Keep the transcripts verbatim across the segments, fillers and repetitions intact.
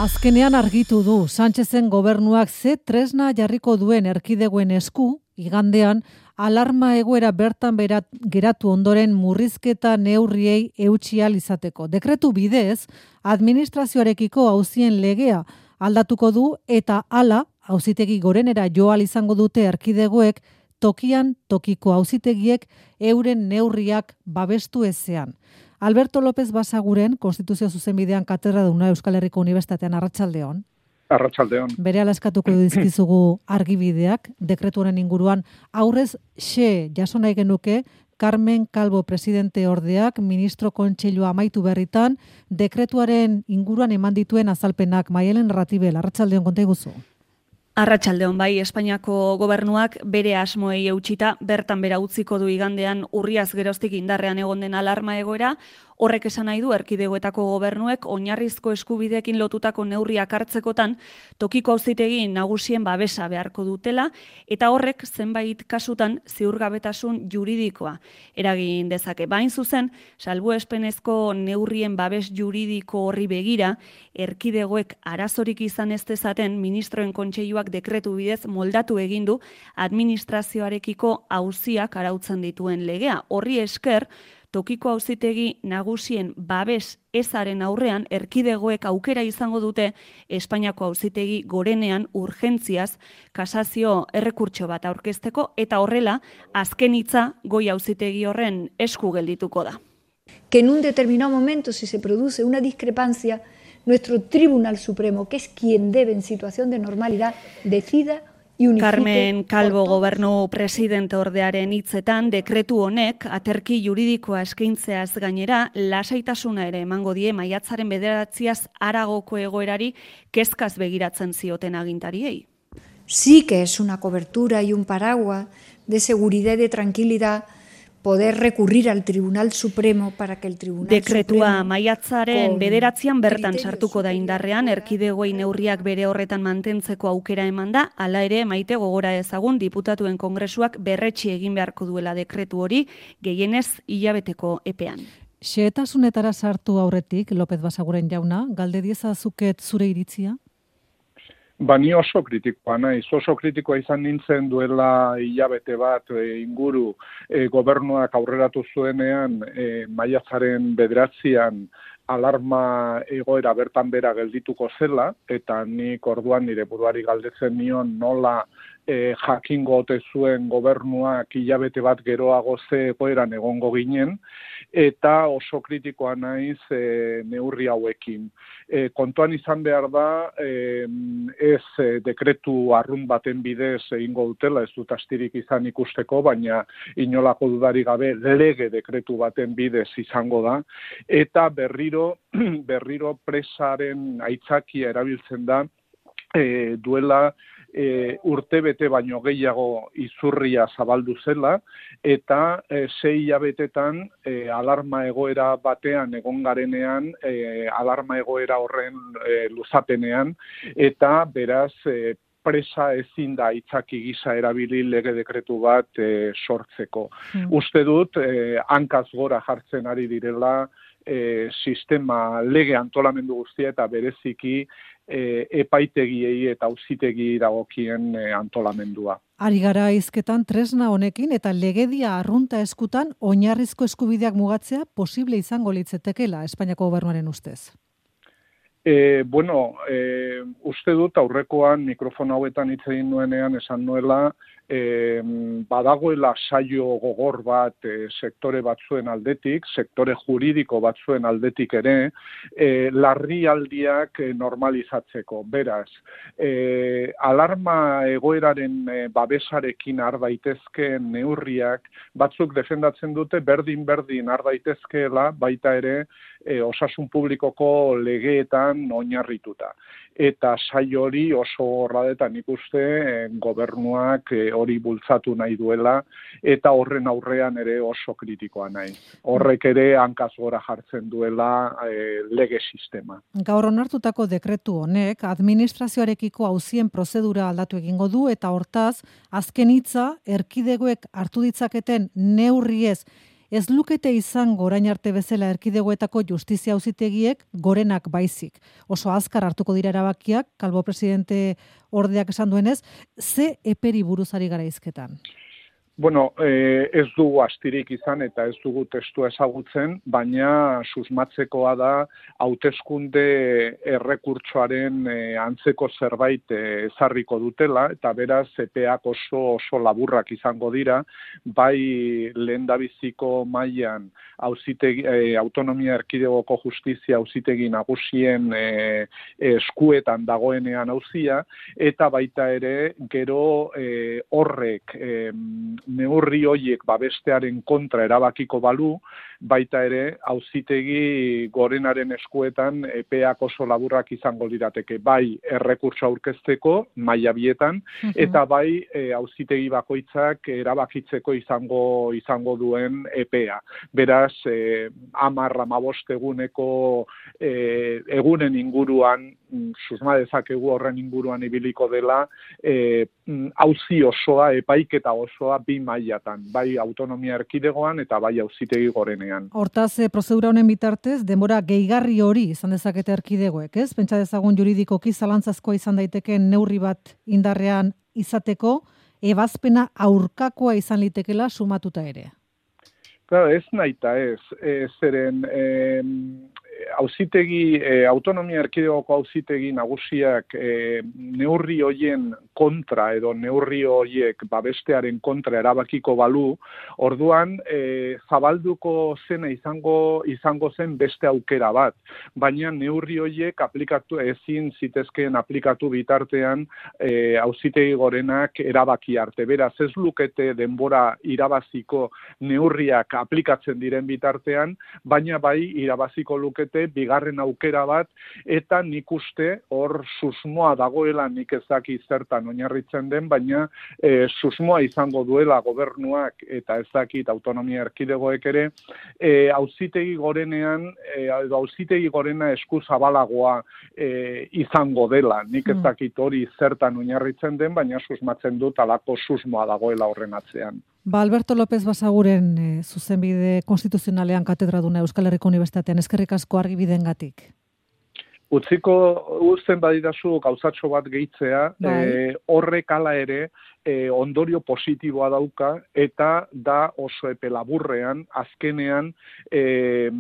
Azkenean argitu du Sánchezen gobernuak ze tresna jarriko duen erkidegoen esku, igandean alarma egoera bertan berat, geratu ondoren murrizketa neurriei eutsi ahal izateko. Dekretu bidez, administrazioarekiko auzien legea aldatuko du eta hala auzitegi gorenera jo ahal izango dute erkidegoek tokian tokiko auzitegiek euren neurriak babestu ezean. Alberto López Basaguren, Konstituzio Zuzenbidean katedraduna Euskal Herriko Unibertsitatean, arratsaldeon. Arratsaldeon. Berehala eskatuko dizkizugu argibideak, dekretu honen inguruan aurrez xe jaso nahi genuke Carmen Calvo presidente ordeak ministro kontseilua amaitu berritan dekretuaren inguruan eman dituen azalpenak. Maialen Ratibel, arratsaldeon konta iguzu. Arratsaldeon, bai, Espainiako gobernuak bere asmoei eutsita bertan bera utziko du igandean urriaz geroztik indarrean egon den alarma egoera. Horrek esan nahi du erkidegoetako gobernuek oinarrizko eskubideekin lotutako neurriak hartzekotan tokiko auzitegi nagusien babesa beharko dutela eta horrek zenbait kasutan ziurgabetasun juridikoa eragin dezake. Bain zuzen, salbuespenezko neurrien babes juridiko horri begira, erkidegoek arazorik izan ez dezaten ministroen kontseiluak dekretu bidez moldatu egin du administrazioarekiko auziak arautzen dituen legea. Horri esker, tokiko auzitegi nagusien babes ezaren aurrean erkidegoek aukera izango dute Espainiako auzitegi gorenean urgentziaz kasazio errekurtso bat aurkezteko eta horrela azken hitza goi auzitegi horren esku geldituko da. Que en un determinado momento, si se produce una discrepancia, nuestro Tribunal Supremo, que es quien debe en situación de normalidad, decida. Carmen Calvo gobernu presidente ordearen hitzetan dekretu honek aterki juridikoa eskaintzeaz gainera lasaitasuna ere emango die maiatzaren bederatziaz haragoko egoerari kezkaz begiratzen zioten agintariei. Sí que es una cobertura y un paraguas de seguridad y de tranquilidad poder recurrir al Tribunal Supremo para que el Tribunal Dekretua Supremo maiatzaren bederatzian bertan sartuko da indarrean, erkidegoei neurriak bere horretan mantentzeko aukera eman da, hala ere maite gogora ezagun diputatuen kongresuak berretsi egin beharko duela dekretu hori gehienez hilabeteko epean. Xehetasunetara sartu aurretik, López Basaguren jauna, galde diezazuket zure iritzia? Ba, ni oso kritikoa naiz, oso kritikoa izan nintzen duela hilabete bat e, inguru e, gobernuak aurreratu zuenean e, maiatzaren bederatzian alarma egoera bertan bera geldituko zela, eta nik orduan nire buruari galdetzen nion nola e, jakingo ote zuen gobernuak hilabete bat geroago ze egoeran egongo ginen, eta oso kritikoa naiz e, neurri hauekin. E, kontuan izan behar da, e, ez e, dekretu arrun baten bidez egingo dutela, ez dut astirik izan ikusteko, baina inolako dudarik gabe lege dekretu baten bidez izango da, eta berriro, berriro presaren aitzakia erabiltzen da, e, duela E, urte bete baino gehiago izurria zabaldu zela, eta e, sei hilabetetan e, alarma egoera batean egon garenean, e, alarma egoera horren e, luzapenean, eta beraz e, presa ezin da aitzaki gisa erabili lege dekretu bat e, sortzeko. Hmm. Uste dut, e, hankaz gora jartzen ari direla e, sistema lege antolamendu guztia eta bereziki E, epaitegiei eta auzitegi dagokien e, antolamendua. Ari gara hizketan tresna honekin eta legedia arrunta eskutan oinarrizko eskubideak mugatzea posible izango litzetekela Espainiako gobernuaren ustez. E, bueno, e, uste dut aurrekoan mikrofona hauetan hitz egin nuenean esan nuela e, badagoela saio gogor bat e, sektore batzuen aldetik, sektore juridiko batzuen aldetik ere, e, larrialdiak e, normalizatzeko. Beraz, e, alarma egoeraren e, babesarekin har daitezkeen neurriak batzuk defendatzen dute berdin-berdin har daitezkeela baita ere e, osasun publikoko legeetan oinarrituta. Eta saio hori oso horradetan ikuste eh, gobernuak eh, hori bultzatu nahi duela eta horren aurrean ere oso kritikoa nahi. Horrek ere hankaz gora jartzen duela eh, lege sistema. Gaur onartutako dekretu honek administrazioarekiko auzien prozedura aldatu egingo du eta hortaz azken hitza erkidegoek hartu ditzaketen neurriez ez lukete izango orain arte bezala erkidegoetako justizia auzitegiek gorenak baizik. Oso azkar hartuko dira erabakiak, Calvo presidente ordeak esan duenez, ze eperi buruzari gara izketan? Bueno, eh, ez dugu astirik izan eta ez dugu testua ezagutzen, baina susmatzekoa da hauteskunde errekurtsoaren eh, antzeko zerbait eh, ezarriko dutela, eta beraz epeak oso oso laburrak izango dira, bai lehendabiziko mailan auzitegi eh, autonomia erkidegoko justizia auzitegi nagusien eh, eskuetan dagoenean auzia, eta baita ere gero eh, horrek eh, neurri hoiek babestearen kontra erabakiko balu, baita ere auzitegi gorenaren eskuetan epeak oso laburrak izango lirateke, bai errekurtso aurkezteko maila bietan, eta bai e, auzitegi bakoitzak erabakitzeko izango izango duen epea. Beraz, e, hamar hamabost eguneko e, egunen inguruan, susma dezakegu horren inguruan ibiliko dela, e, auzi osoa, epaiketa osoa bi mailatan, bai autonomia erkidegoan eta bai auzitegi gorenean. Hortaz, prozedura honen bitartez, denbora gehigarri hori izan dezakete erkidegoek, ez? Pentsa dezagun juridikoki zalantzazkoa izan daiteken neurri bat indarrean izateko, ebazpena aurkakoa izan litekela sumatuta ere. Claro, ez naita ez, e, zeren e, auzitegi, e, autonomia erkidegoko auzitegi nagusiak e, neurri hoien kontra edo neurri hoiek babestearen kontra erabakiko balu, orduan e, zabalduko zena izango izango zen beste aukera bat, baina neurri hoiek aplikatu ezin zitezkeen aplikatu bitartean e, auzitegi gorenak erabaki arte. Beraz, ez lukete denbora irabaziko neurriak aplikatzen diren bitartean, baina bai irabaziko lukete bigarren aukera bat, eta nik uste hor susmoa dagoela, nik ez daki zertan oinarritzen den, baina e, susmoa izango duela gobernuak eta ez dakit autonomia erkidegoek ere, e, auzitegi gorenean, e, edo auzitegi gorena esku zabalagoa e, izango dela. Nik ez dakit hori zertan oinarritzen den, baina susmatzen dut alako susmoa dagoela horren atzean. Ba, Alberto López Basaguren e, zuzenbide konstituzionalean katedraduna Euskal Herriko Unibertsitatean, eskerrik asko argibidengatik. Utziko uzten badidazu gauzatxo bat gehitzea, e, horrek hala ere e, ondorio positiboa dauka, eta da oso epe laburrean, azkenean e,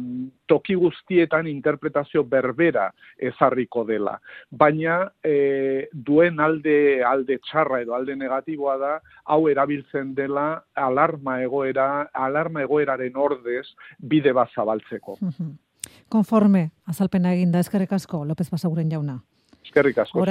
toki guztietan interpretazio berbera ezarriko dela. Baina e, duen alde alde txarra edo alde negatiboa da, hau erabiltzen dela alarma egoera, alarma egoeraren ordez bide bat zabaltzeko. Konforme, azalpena eginda, eskerrik asko, López Basaguren jauna. Eskerrik asko.